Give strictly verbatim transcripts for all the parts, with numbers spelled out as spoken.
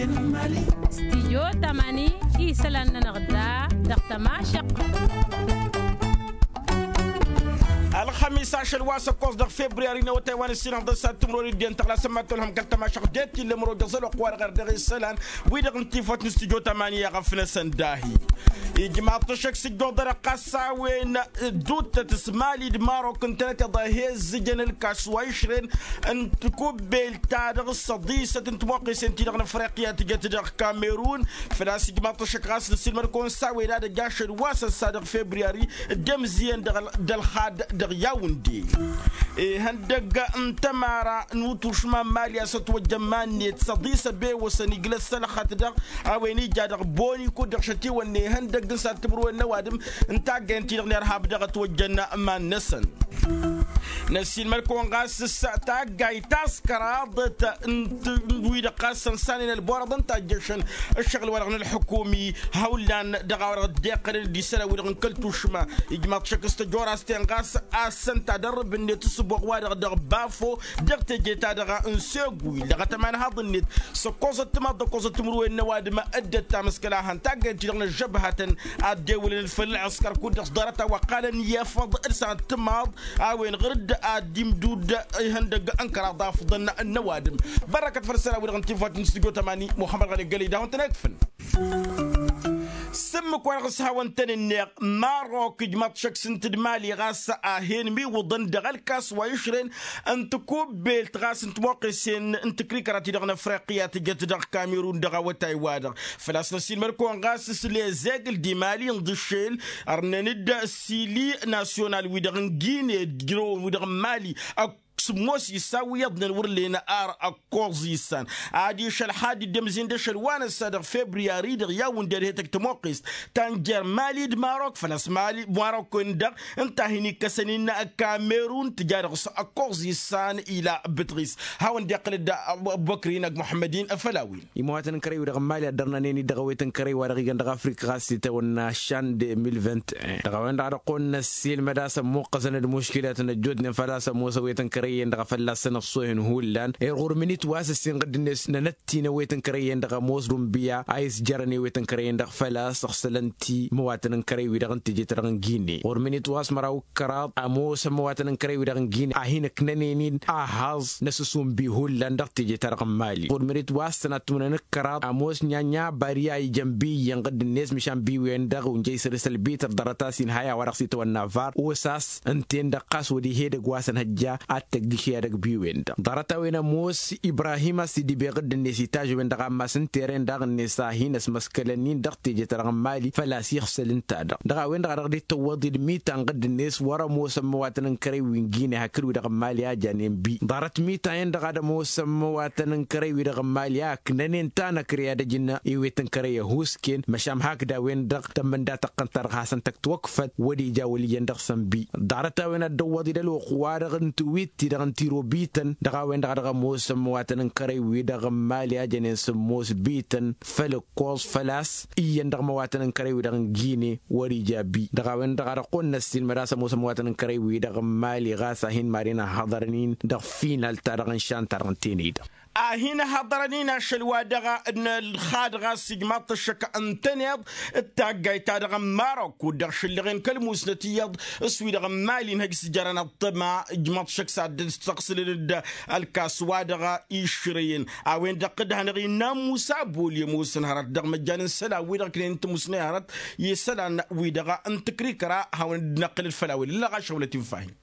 Stijyo tamani isălan-nănăɣ da dăɣ-tămašăqq. Ălxămis ašăl wa s-ăkkoẓ dăɣ-februyari n-awătay wa n-ǝssinăɣ dăɣ-s ad-tǝmrori d-en tăɣlasăn ma tolhăm kăl-tămašăqq det-t illa ămăro dăɣ-zăloq wa-dăɣ ar dăɣ-isălan wi-dăɣ n-tifăt n-stijyo tamani i-aɣăf-năsăn dahi. Ijmaḍ-t ăššăk s-ǝjjuḍărăɣ ɣas a-wen dd-uttăt s-mali d-marok ǝntănăt iḍa he-ǝzzǝjăn ǝlkas wa išrăn n-takubbelt-ta-dăɣ s-ăḍisăt n-timoqqesen-ti-dăɣ n-afriqya tǝjăt dăɣ-kamerun. Făl-a-s ijmaḍ-t ăššăk ɣas nǝssilmăd-kăwăn s-a-wen ad-ăj ašăl wa s-ăssa dăɣ-februyari d-emzǝyăn dăɣ-ălxad dăɣ-yawǝnde. Ihăndăgg n-tămara n-utušma n-mali a-s ătwăjjăn iman-net s-ăḍis ăbewăsăn iglăs sălăxăt-dăɣ a-wen ija dăɣ-boni kud-dăɣ šătiwănne ihăndăgg n-sattǝmrǝwen n-ăwadǝm n-taggayăn-ti-dăɣ n-irhab dăɣ-ătwăjjăn iman-năsăn. Năssiilmăd-kăwăn ɣas s-taggayt ta s-kăraḍăt n-wi-dăɣ ɣas sănsanen ălborăḍăn tajjăšăn ǝššăɣǝl-wa-dăɣ n-ălḥukumi hawlan dăɣ-a-wa-dăɣ dd-iqqălăn d-isălan-wi-dăɣ n-kăl-tušma. Ijmaḍ-t šăkk s-tăjora s-ten ɣas a-s ǝnta a dăr-rǝbǝnnet s-ǝbboɣ wa-dăɣ dăɣ-bafo dăɣ-teje-ta-dăɣ n-segwil dăɣ-atămanhaḍ-net s-ăkkoẓăt timaḍ d-ăkkoẓăt timǝrwen n-ăwadǝm. Dd-ăttamǝskăl a han taggayt-ti-dăɣ n-ăžžăbhătăn ad-dd-ewǝlăn făll-ălɣǝskăr kud-dăɣ s-ḍarăt-a-wa ǝqqalăn i-afăḍ d-sănat timaḍ a-wen ɣǝr-dd ad-dd-imdud ihăndăgg n-kăraḍ afḍăn n-ăwadǝm. Bărrăkăt făll-isălan-wi-dăɣ n-tifăt n-stujo tamani muhămmăd ɣăli gălăy d-a-wen-tăn-ekfǝn. S-ǝmmǝk-wa-dăɣ s-hawăn-tăn-ǝnneɣ marok ǝjmaḍ-t šăkk s-ǝnta d-mali ɣas a hen-imiwǝḍăn dăɣ-ălkas wa išrăn n-takubbelt ɣas n-timoqqesen n-takrikăra-ti-dăɣ n-afriqya tǝjăt dăɣ-kamerun dăɣ-awătay-wa-dăɣ. Făl-a-s năssiilmăd-kăwăn ɣas s-lezegl d-imali n-dăššel ărnăn-dd s-ili nasyonal-wi-dăɣ n-gine d-jrăwăn-wi-dăɣ n-mali ăkk s-ămoos issaw iyyăḍnen wăr len ar ăkkoẓ issan adiš ălxad dd-ămzin d-ašăl wa n-ăssa dăɣ-februyari dăɣ-i-a-wen d-erhetăg tămoqqest ta n-jer-mali d-marok făl-a-s mali marok-en-dăɣ ǝnta a hin-ikkăsăn innă kamerun tǝja dăɣ-s ăkkoẓ issan ila bǝtɣis. Hawăn-dd-iqqǝl-dd ăbubăkr-in ăgg muḥămmăd-in făll-a-wen. Imăwatăn n-kărăy-wi-dăɣ n-mali ad-dărnanen-dd dăɣ-awet n-kărăy wa dăɣ-igan dăɣ-afrika ɣas itawănna šan d-emil vint-e-un dăɣ-a-wen-dăɣ ad-ăqqolăn ăssiilmăd a-s ămmuqqăsăn d-muškilat n-ăjjootnen făl-a-s ămoosăn awet n-kărăy-en-dăɣ a fălla-săn ăṣṣoohen hullan. Irɣur mǝnit wa s-ăssinɣǝd-net nănăt-t-in awet n-kărăy-en-dăɣ ămoos d-unbiya a isjărăn i-awet n-kărăy-en-dăɣ făl-a-s ǝxsălăn-t imăwatăn n-kărăy-wi-dăɣ n-teje-ta-dăɣ n-gine ɣur-mǝnit wa s-măraw d-kăraḍ ămoosăn imăwatăn n-kărăy-wi-dăɣ n-gine a hin-ǝknănen-in ahaẓ n-asǝs unbi hullan dăɣ-teje-ta-dăɣ n-mali ɣur-mǝnit wa s-tănattumnăn d-kăraḍ ămoos n-inya n-inya bariya ijăn bi iyyănɣǝd-net măšan bi-wen-dăɣ unjăy săr-s ălbităr ḍarăt-as inhăy a-wa-dăɣ s-itawănna var osas ǝnta-en-dăɣ ɣas wăr dd-ihed ăgg wa s-ănhăjja ad-tăgg išya dăgg-bi-wen-dăɣ ḍarăt-a-wen ămoos ibrahim a-s dd-ibeɣ dd-net itajj-wen-dăɣ ammas n-teren daɣ-net a hin-ăsmăskălăn-in dăɣ-teje-ta-dăɣ n-mali făl-a-s ixsăl ǝnta-dăɣ dăɣ-a-wen-dăɣ a dăɣ-dd-tăwwăḍ-dd mitan ɣǝdd-net wăr-ămoosăn măwatăn n-kărăy wi n-gine hakd wi-dăɣ n-mali a janen bi ḍarăt mitan-en-dăɣ ad-ămoosăn măwatăn n-kărăy wi-dăɣ n-mali a ǝknănen ta n-ăkrey ad-ăj n-ewet n-kărăy ăhuusken măšan hakd a-wen-dăɣ tămmǝnda tăqqăn-ta-dăɣ hasăn-tăk tiwăkfăt wăr ija wăl' iyyăn dăɣ-săn bi ḍarăt-a-wen ad-dd-ăwwăḍ-dd ălwăqq-wa-dăɣ n-tiwit-ti-dăɣ n-tiro bităn dăɣ-a-wen-dăɣ a dăɣ-ămoosăn măwatăn n-kărăy wi-dăɣ n-mali a jănen sǝmmos bităn făll-ǝkkoẓ făl-a-s iyyăn dăɣ-măwatăn n-kărăy wi-dăɣ n-gine wăr-ija bi dăɣ-a-wen-dăɣ a dăɣ-kăwăn-năssiilmăd a-s ămoosăn măwatăn n-kărăy wi-dăɣ n-mali ɣas a hin-mad-en ăhhăḍărăn-in dăɣ-final-ta-dăɣ n-šan-ta-dăɣ n-tenăy-dăɣ a hin-ăhhăḍărăn-in ašăl wa dăɣ-nălxad ɣas ijmaḍ-t ăššăk ǝntăneḍ d-taggayt-ta-dăɣ n-marok kud-dăɣ šǝllăɣen kăl-musnăt iyyăḍ s-wi-dăɣ n-mali n-hăj s-jărăn ăṭṭăma ijmaḍ-t ăššăk s-ad-dd-stăɣsǝlăn-dd ălkas wa dăɣ-išrăyăn a-wen-dăɣ d-hanăɣ-innă musa bol i-ămoosăn hărăt dăɣ-măjjan n-isălan-wi-dăɣ ǝknen tǝmusnăy hărăt i-isălan-wi-dăɣ n-tǝkrikăra hawăn-dd-năqqǝlăd făll-a-wen ǝllăɣ ašăwălăt infahin.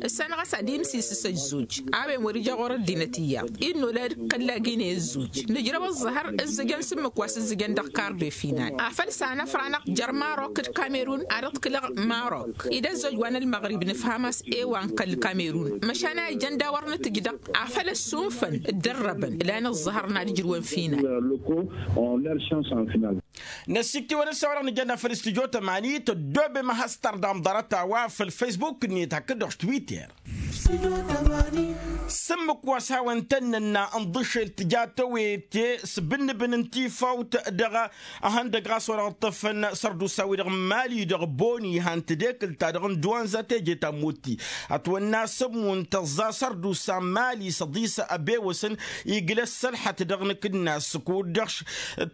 Ǝssan ɣas ad-imsisǝs ăzzuj a-wen wăr-ija ɣur-ăddinăt iyyăḍ innă olăd kălla gine ăzzuj nǝjrăw ăẓẓăhăr ǝzzǝjăn s-ǝmmǝk wa s-ǝzzǝjăn dăɣ-kar de final afăl s-anăfranăɣ jer-marok d-kamerun ad-ăḍkǝlăɣ marok ed ăzzoj wa n-ălmăɣrib nǝfham a-s e-wa n-kăl-kamerun măšan a ijăn d-a-wăr nǝtǝj dăɣ-afăl ăssunfăn dd-ărrăbăn lan ăẓẓăhăr n-ad-ǝjrǝwăn final. Năsiktiwăn ǝssa wa-dăɣ nǝjănna făll-studyo tămani tăddoobem ad-has-tărdam ḍarăt-a-wa făll-facebook-net hakd-dăɣ s-twitter. S-ǝmmǝk wa s-hawăn-tăn-nănna n-iḍǝšel tǝja tăwete s-bǝnnǝbǝn n-tifawt dăɣ-ehăndăg ɣas wa dăɣ-ǝṭṭăfăn sărdusa-wi-dăɣ n-imali dăɣ-boni han tedekǝlt-ta-dăɣ n-duwanza teje ta n-mutti. Ătwănna s-ămmun tăẓẓa sărdusa n-imali s-ăḍis ăbewăsăn iglăs sălḥăt dăɣ-nǝkǝnnas kud-dăɣ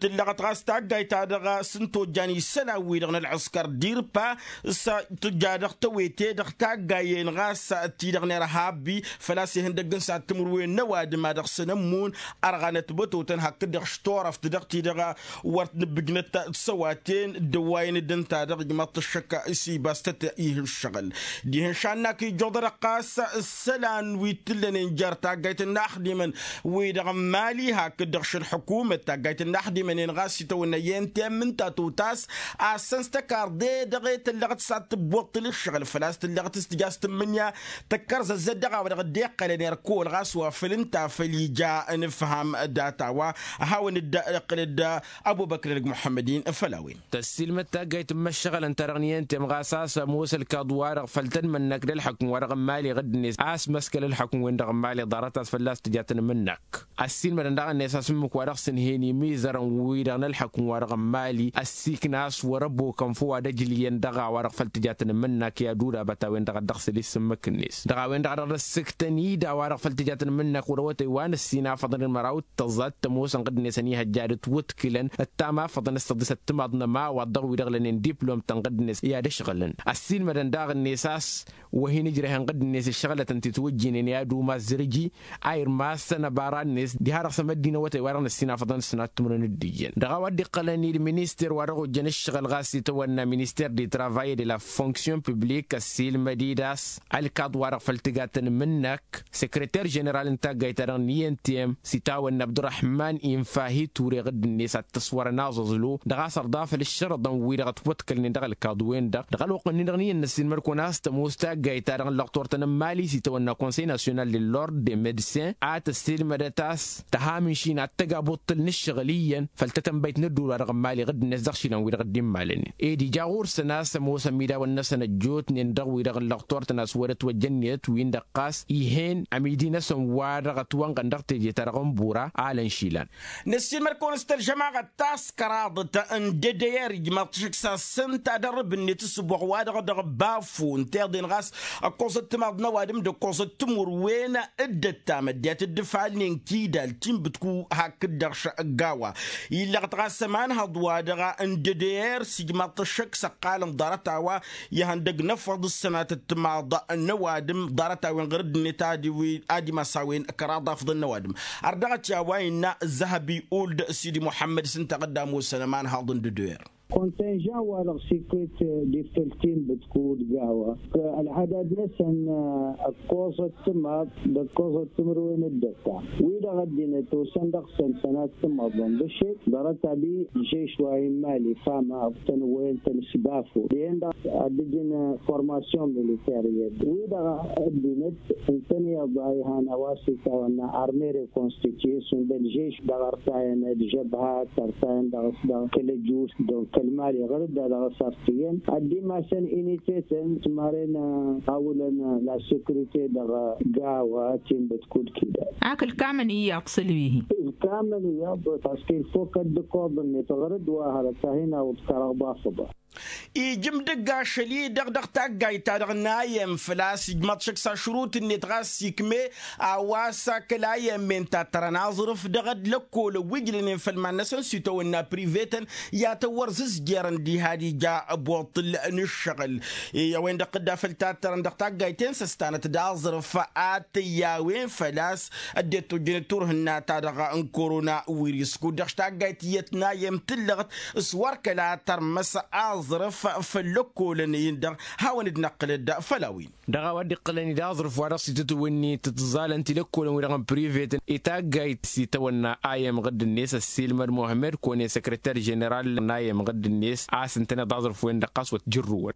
tǝllăɣăt ɣas taggayt-ta-dăɣ s-ǝntojjan isălan-wi-dăɣ n-ălɣǝskăr dirpa s-tǝjja dăɣ-tăwete dăɣ-taggayen ɣas ti-dăɣ n-irhabbi făl-a-s ihăndăgg n-săhat timǝrwen n-ăwadǝm a dăɣ-săn ămmun ărɣanăt bătotăn hakd-dăɣ s-turăft dăɣ-ti-dăɣ wăr t-nǝbbǝjnăt d-săwaten d-ăwwayăn dd-ǝnta-dăɣ ijmaḍ-t ăššăk s-ibas tăt-ih ǝššăɣǝl. Dihen šannak ijjuḍ-dăɣ ɣas isălan wi t-ǝllănen jer-taggayt n-inaxdimăn wi-dăɣ n-mali hakd-dăɣ šălḥukumăt taggayt n-inaxdimăn-en ɣas itawănna i-n temmǝnta totas a-s săn s-tăkarḍe dăɣ-e tăllăɣăt s-ad-tǝbbuḍ tǝlǝššăɣǝl făl-a-s tǝllăɣăt s-tǝja s-tǝmmǝnǝya tăkkărzăzzăt dăɣ-a-wa dăɣ-dd-iqqălăn irkol ɣas wa făl ǝnta făl ija ănǝfham data-wa. Hawăn-dd-iqqǝl-dd ăbubăkr-edăgg muḥămmăd-in făll-a-wen. Tăssiilmăd taggayt n-imăššăɣălăn-ta-dăɣ n-i-ăntăyăm ɣas a-s ămoos ălkaḍ-wa-dăɣ făll-tăn-mănnăk d-ălḥukǝm-wa-dăɣ n-imali ɣǝdd-net a-s măskăl ălḥukǝm-wen-dăɣ n-imali ḍarăt a-s fălla-s tǝja tăn-imǝnnăk. Ăssiilmădăn daɣ-net a-s ǝmmǝk-wa-dăɣ s-ǝnhen imizărăn-wi-dăɣ n-ălḥukǝm-wa-dăɣ n-imali ăssiikna a-s wăr-ăbokăn făw ad-ăjlǝyăn dăɣ-a-wa-dăɣ făll-tǝja tăn-imǝnnăk i-ad-udabăt a-wen-dăɣ a dd-ăɣsǝl isǝmmǝk-net dăɣ-a-wen-dăɣ a dăɣ-dd-ăssǝktăn ida-wa-dăɣ făll-tǝja tăn-imǝnnăk wăr-awătay wa n-ăssin afăḍăn d-măraw d-tăẓẓa d-tămoosăn ɣǝddǝnet ănihăjja ad-ǝtwǝtkǝlăn ăttam afăḍăn s-tăḍis ăttămaḍ n-ămawaḍ dăɣ-wi-dăɣ lănen diplom-tăn ɣǝddǝnet i-ad-ǝšɣǝlăn. Ăssiilmădăn daɣ-net a-s wăr hin-ǝjrăhăn ɣǝddǝnet ǝššăɣlătăn titwǝjjǝynen i-ad-umaz zǝrǝji a irmasăn ăbara-net diha-dăɣ s-emăddin awătay wa-dăɣ n-ăssin afăḍăn s-sănat timǝrwen d-ijjăn dăɣ-a-wa dd-iqqălăn i-dd-minister wa dăɣ-ojjăn ǝššăɣǝl ɣas itawănna minister de travail de la fonction public ăssiilmăd-dd a-s ălkaḍ-wa-dăɣ făll-tǝgatăn imǝnnăk sekreter ženeral n-taggayt-ta-dăɣ n-i n t m s-itawănna abdurăhman infahi ture ɣǝdd-net ad-t-ăswărăn aẓǝẓlu dăɣ-a-s ărḍa făll-ǝššărǝḍăn-wi-dăɣ ătwăḍkălnen dăɣ-ălkaḍu-wen-dăɣ dăɣ-ălwăqq-nin-dăɣ n-iyyăn n-ăssiilmăd-kăwăn a-s tămoos taggayt-ta-dăɣ n-lăqtor-tăn n-mali s-itawănna konsey nasyonal de lord de medsin a tăssiilmădăt a-s tăha mănšin ad-tăgg abuṭṭǝl n-ǝššăɣǝl iyyăn făll-tătănbăyt n-ădduul-wa-dăɣ n-mali ɣǝdd-net dăɣ-išilan-wi-dăɣ dd-immalănen ed ija ɣur-săn a-s ămoos ămidawăn-năsăn ăjjootnen dăɣ-wi-dăɣ n-lăqtor-tăn a-s wăr-ătwăjjăn inătwin-dăɣ ɣas ih'-en ămidi-năsăn wa-dăɣ ătwănɣăn dăɣ-teje-ta-dăɣ n-bura alăn išilan. Năssiilmăd-kăwăn s-tălžămaɣăt taskăraḍăt n-dd-ăyr ijmaḍ-t ašǝk s-asǝnta d-ărrǝb-net ǝssǝboɣ wa-dăɣ dăɣ-bafo ǝnta iḍen ɣas ăkkoẓăt timaḍ n-ăwadǝm d-ăkkoẓăt timǝrwen d-ăttam ăddinăt dd-ǝfalnen kidal tinbǝtku hakd-dăɣ šăggawa. Illăɣ-t ɣas ămanhăḍ wa-dăɣ n-dd-ăyr s-ijmaḍ-t ăššăk s-ăqqalăn ḍarăt-a-wa ihăndăg n-efăḍ s-sănatăt timaḍ n-ăwadǝm ḍarăt-a-wen ɣur-dd-net ad-imas a-wen kăraḍ afḍăn n-ăwadǝm. Ărdăɣăt i-a-wa innă zăhăbi uld sidi muḥămmăd s-ǝnta ɣǝdda ămoosăn ămanhăḍ n-dd-ăyr. Kontenžan-wa-dăɣ s-ikwet d-ifăl tinbǝt kud gawa ălhadad-năsăn ăkkoẓăt timaḍ d-ăkkoẓăt timǝrwen d-ăttam wi-dăɣ ăddinăt osăn dăɣ-săn sănat timăḍăn d-ašek ḍarăt-abi žeš wa immali fama ăbtăn-wăyăn-tăn s-bafo dihen-dăɣ ad-dd-ǝjǝn formasyon militer i-dd wi-dăɣ ăddinăt ǝntăn iyyăḍ a ihan a-wa s-itawănna arme rekonstituye šund ălžeš dăɣ-ărtayăn d-žăbha tărtayăn dăɣ-s dăɣ-kăl-ăjus donc kăl-mali ɣur-dd a dăɣ-s ărtǝyăn ad-dd-imasăn inite-tăn s-maren a wǝlăn la securite dăɣ-gawa tinbǝt kud kidal. Ak ǝlkamăn iyyăḍ s-ălwihi. Ǝlkamăn iyyăḍ parce que il faut kăl-dd-ǝkkoḍ-net ɣur-dd wa hărăt a hin-awǝḍ kăraḍ afǝḍa. Ijǝm dăgg-ašăl-i-dăɣ dăɣ-taggayt-ta-dăɣ n-ayăm făl-a-s ijmaḍ šăkk s-ašrut-net ɣas ikme a-wa s-akăl ayăm-en tattărăn aẓrǝf dăɣ-dd-lăkkolăn wi ǝjlănen făll-iman-năsăn s-itawănna prive-tăn i-ad-tăn-wăr zǝzjerăn diha d-ija ăbuṭṭǝl n-ǝššăɣǝl. I-a-wen-dăɣ tǝdda făll-tattărăn dăɣ-taggayt-en s-ăstanăt d-aẓrǝf ad-t-ăyy a-wen făl-a-s ăddinăt tojjănet turhǝnna-ta-dăɣ n-korona wiris kud-dăɣ taggayt iyyăt n-ayăm tǝllăɣăt s-wăr kăla tărmăs aẓrǝf făll-ăkkolăn-in-dăɣ. Hawăn-dd-năqqǝlăd făll-a-wen. Dăɣ-a-wa dd-iqqălăn-dd aẓrǝf wa dăɣ-s itǝtwǝnni tǝtẓalăn tilăkkolăn-wi-dăɣ n-privet i-taggayt s-itawănna ayăm ɣǝdd-net ăssiilmăd muhămmed kăwăn-e săkrăter ženeral n-ayăm ɣǝdd-net a-s ǝntăneḍ aẓrǝf-wen-dăɣ ɣas wăr t-jărrǝwăn.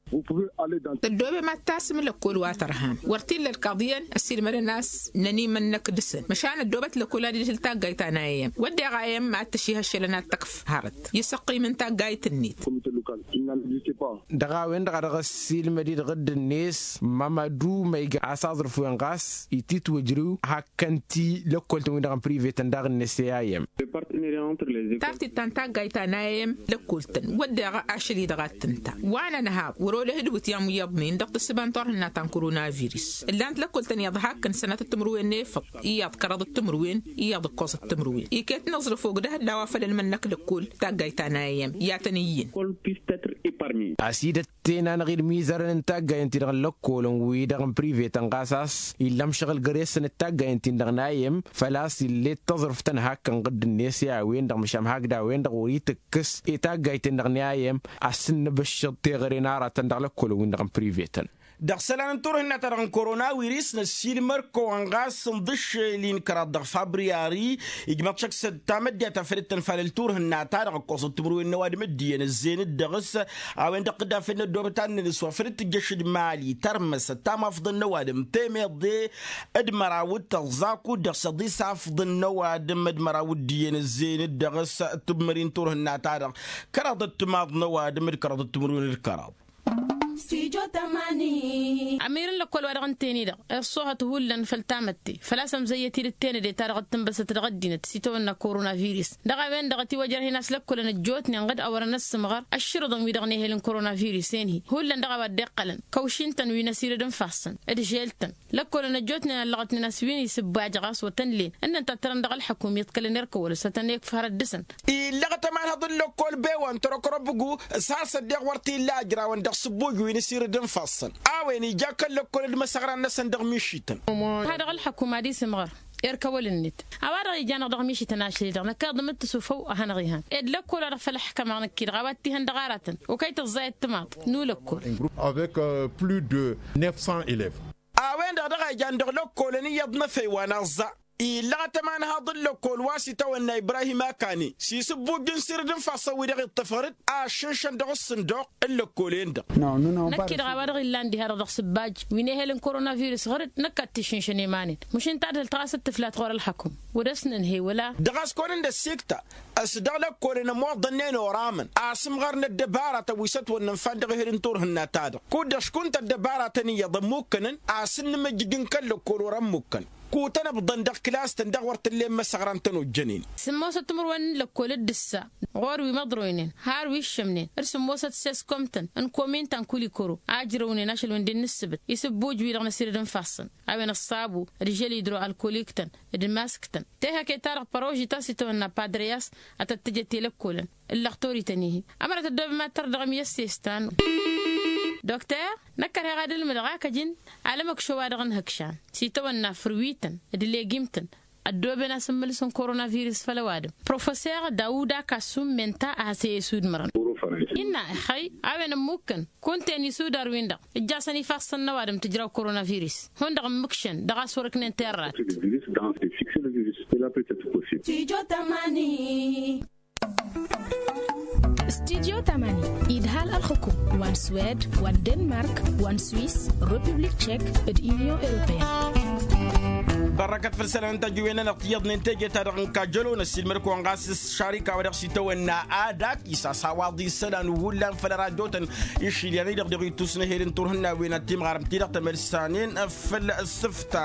Tăddoobem ad-tasǝm lăkkol wa tărham wăr t-illa ălkaḍ iyyăn ăssiilmădăn a-s nănimănnăk dăɣ-săn măšan ăddoobăt lăkkol ad-ila tǝl taggayt ta n-ayăm wădden ayăm ad-tăšihăššălăn ad-tăkf hărăt i-săqqim n-taggayt-net. Dăɣ-a-wen-dăɣ a dăɣ-ăssiilmăd-i-dăɣ dd-net mamadu ma iga a-s aẓrǝf-wen ɣas ititwǝjrǝw hakkăn-t-i lăkkol-tăn-win-dăɣ n-privetăn daɣ-net i-a-em. Taftit ta n-taggayt ta n-a-em lăkkol-tăn wădden ašăl-i-dăɣ a t-tǝnta wa n-ănhaḍ wăr-olăh d-wǝtyan wi iyyăḍnen dăɣ-tǝssǝba n-turhǝnna ta n-koronavirǝs. Ǝllan-t lăkkol-tăn iyyăḍ hakkăn sănatăt timǝrwen n-efăḍ iyyăḍ kăraḍăt timǝrwen iyyăḍ ǝkkoẓăt timǝrwen iket n-aẓrǝf ogdăh d-a-wa făl ălmănnăk lăkkol taggayt ta n-a-em i-ad-tăn-iyyǝn. Asidăt tenanăɣ-dd imizărăn n-taggayăn-ti-dăɣ n-lăkkolăn wi-dăɣ n-privetăn ɣas a-s ill'-am šăɣǝl găre-săn d-taggayăn-tin-dăɣ n-a-em făl-a-s ill'-e d-taẓrǝft n-hakkăn ɣǝdd-net i-a-wen-dăɣ măšan hakd a-wen-dăɣ wăr-itǝkkǝs i-taggayt-en-dăɣ n-a-em. A-s ǝnnǝbǝššăḍ teɣăre n-aratăn dăɣ-lăkkolăn-win-dăɣ n-privetăn. Dăɣ-isălan n-turhǝnna-ta-dăɣ n-koronawiris năssiilmăr-kăwăn ɣas ǝnḍǝššel-in kăraḍ dăɣ-fabriyari ijmăḍ šăkk s-tamădde ta făl dd-tănfalăl turhǝnna-ta-dăɣ ǝkkoẓăt timǝrwen n-ăwadǝm d-iyyăn ǝzzeyăn-dd dăɣ-s. A-wen-dăɣ tǝddafen n-ăddoobăt annăn s-wa făl dd-tǝjjăš d-mali tărmăsăt tamafḍăn n-ăwadǝm temeḍe d-măraw d-tăẓẓa kud-dăɣ s-iḍis afḍăn n-ăwadǝm d-măraw d-iyyăn ǝzzeyăn-dd dăɣ-s. Tǝmmări n-turhǝnna-ta-dăɣ kăraḍăt timaḍ n-ăwadǝm d-kăraḍăt timǝrwen d-kăraḍ. Ămir n-lăkkol wa dăɣ-n teni-dăɣ iṣṣohăt hullan făll-tamătte făl-a-s ămzăyyăt-dd tenăde ta dăɣ-tǝnbăsăt dăɣ-ăddinăt s-itawănna koronavirus. Dăɣ-a-wen-dăɣ ătiwăjrăh-in a-s lăkkolăn ăjjootnen ɣǝd a wărăn ăssǝmɣăr ăššǝrǝḍăn wi-dăɣ n-ehel n-koronavirus-en-hi hullan dăɣ-a-wa dd-iqqălăn kăwšin-tăn wi n-asirǝd n-ifassăn d-žel-tăn. Lăkkolăn ăjjootnen ăllăɣătnen a-s wi n-isǝbbaj ɣas wăr tăn-len ǝnnăn tattărăn dăɣ-ălḥăkum iḍkălăn erk ăwăl s-ad-tăn-ikf hărăt dăɣ-săn. Illăɣăt ămanhăḍ n-lăkkol bewan tărăkrăbǝgu s-har săddeɣ wăr t-illa ajrawăn dăɣ-sǝbboj wi n-asirǝd n-ifassăn a-wen ija kăl-lăkkol d-imăsăɣran-năsăn dăɣ-mišităn. Hadăɣ ălḥăkum ad-isǝmɣăr erk ăwăl-net a-wa-dăɣ ijanăɣ dăɣ-mišităn ašăl-i-dăɣ năkk iḍǝm d-tǝsufăw ad-hanăɣ-ihăn ed lăkkol-wa-dăɣ făl ăḥkămaɣ năkk-i-dăɣ a-wa t-ihăn dăɣ-aratăn okăy tăẓẓayăt timaḍt n-ulăkkol. Avec plus de neuf cents élèves. A-wen-dăɣ dăɣ-a ijan dăɣ-lăkkolăn iyyăḍ n-efăy wa n-aẓẓa illăɣăt ămanhaḍ n-lăkkol wa s-itawănna ibrahim akani s-isǝbbuj n-sirǝd n-ifassăn wi-dăɣ iṭṭăf ɣăr-dd a ăššǝnšăn dăɣ-ǝssǝnduɣ n-lăkkol-en-dăɣ. Năkk-i-dăɣ a-wa-dăɣ illan diha-dăɣ dăɣ-sǝbbaj wi n-ehel n-koronavirus ɣăr-dd năkk ad-t-išǝnšăn i-iman-in. Măšin tadhǝlt ɣas d-tǝflat ɣur-ălxăkum wăr-dăɣ-s nǝnhăy wăla. Dăɣ-a-s kăwăn-dd-ăssiktăn s-dăɣ lăkkolăn ămoḍănnen oraman a-s ǝmɣărnăt dăbaratăn wi s-ătwănnănfan dăɣ-ehel n-turhǝnna-ta-dăɣ kud-dăɣ škuntăt dăbaratăn iyyăḍ ămmukkănăn a-s ǝnnǝmǝjjǝj n-kăl-lăkkol wăr-ămmukkăn. Kutăn ǝbḍăn dăɣ-kǝlas-tăn daɣ wăr t-ǝllen imăsăɣran tăn-ojjănen. Sǝmmosăt timǝrwen n-lăkkol d-ǝssa ɣur-wi măḍroynen har wi ǝššămnen d-sǝmmosăt seskom-tăn n-komin ta n-kulikoro a ǝjrăwnen ašăl wǝndin n-ǝssǝbǝt isǝbbuj-wi-dăɣ n-asirǝd n-ifassăn a-wen ăṣṣabu d-žăl idro alkolik-tăn d-mask-tăn. Tehăke-ta-dăɣ păroži ta s-itawănna padreyas ad-tăt-tǝjăt i-lăkkolăn ǝllăɣ torităn-ihi. Ămăra tăddoobem ad-tăr dăɣ-emiyăsses ta n-dokter. Năkk ărheɣ ad-ǝlmǝdăɣ akăjin alămăkšo wa dăɣ-nǝhǝkšan s-itawănna fărwităn d-legim-tăn ăddooben asǝmmǝlǝs n-koronavirus făll-ăwadǝm. Professor dawuda kassum menta a has-e-isudmărăn innă ixăy a-wen ămmukkăn kunta-en isudar-win-dăɣ ǝjjasăn ifassăn n-ăwadǝm tǝjraw koronavirus. Hundăɣ ǝmmǝkšăn dăɣ-a-s wăr-ǝknen terrat. Studyo tamani. Studyo tamani idhal ălxukum wa n-swed wa n-denmark wa n-swis, republik tchek d-unyon europeyăn. Bărrăkăt făll-isălan n-tajǝwen-nănăɣ tiyyăḍnen teje-ta-dăɣ n-kajălo năssiilmăd-kăwăn ɣas s-šarika wa dăɣ-s itawănna adak isas a-wa dd-isălan hullan făll-ăradotăn išilyan-i-dăɣ dăɣ-ittus n-ehel n-turhǝnnawen ad-timɣarăm-ti-dăɣ tămălsanen făll-sǝfta.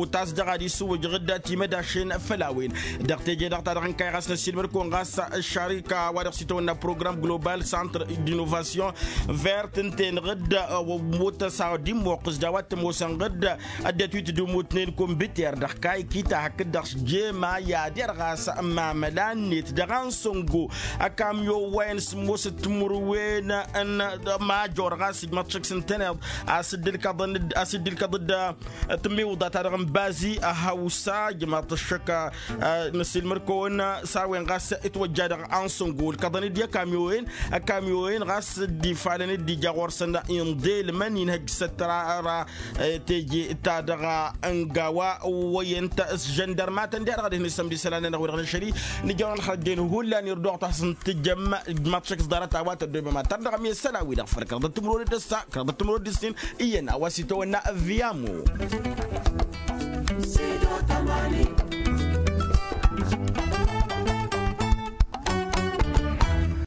Utas dăɣ-ad-isǝwwǝjăɣ-dd timădašen făll-a-wen dăɣ-teje-dăɣ ta dăɣ-nǝkay ɣas năssiilmăd-kăwăn ɣas ăššarika wa dăɣ-s itawănna program global centre d'innovation vert ǝnta-enăɣ-dd. Ămmut a-s ad-immoqqǝs d-a-wa t-ămoosănăɣ-dd ăddinăt wi tǝdumutnen kombiter dăɣ-kayki ta hakd-dăɣ s-jema i-ad-irɣas mamăla-net dăɣ-ansăngo. Ăkamyo wa-en sǝmmosăt timǝrwen n-major ɣas ǝjmăḍ šăkk s-ǝntăneḍ a-s dd-ǝlkăḍăn-dd a-s dd-ǝlkăḍ-dd tǝmmiwǝḍa-ta-dăɣ n-bazi ăhawsa ǝjmăḍ-t ăššăk. Năssiilmăd-kăwăn s-a-wen ɣas itwăjja dăɣ-ansăngo ǝlkăḍăn-dd i-ăkamyo-en. Ăkamyo-en ɣas dd-ifalăn dd-ija ɣur-săn inḍelmăn inhăjj s-ăttăra teje-ta-dăɣ. Ănga wa wăyăn s-žăndărmatăn diha-dăɣ ad-ihăn isămd isălan-nănăɣ wi-dăɣ năšăl-i nǝjăwăn ălxăjjen hullan irduɣ-t wa s-ǝntǝjjăm. Ǝjmăḍ šăkk s-ḍarăt a-wa tăddoobem ad-tărdăɣăm i-isălan-wi-dăɣ făl kăraḍăt timǝrwen d-ǝssa kăraḍăt timǝrwen d-ǝssin iyyăn a-wa s-itawănna ăvviyamo.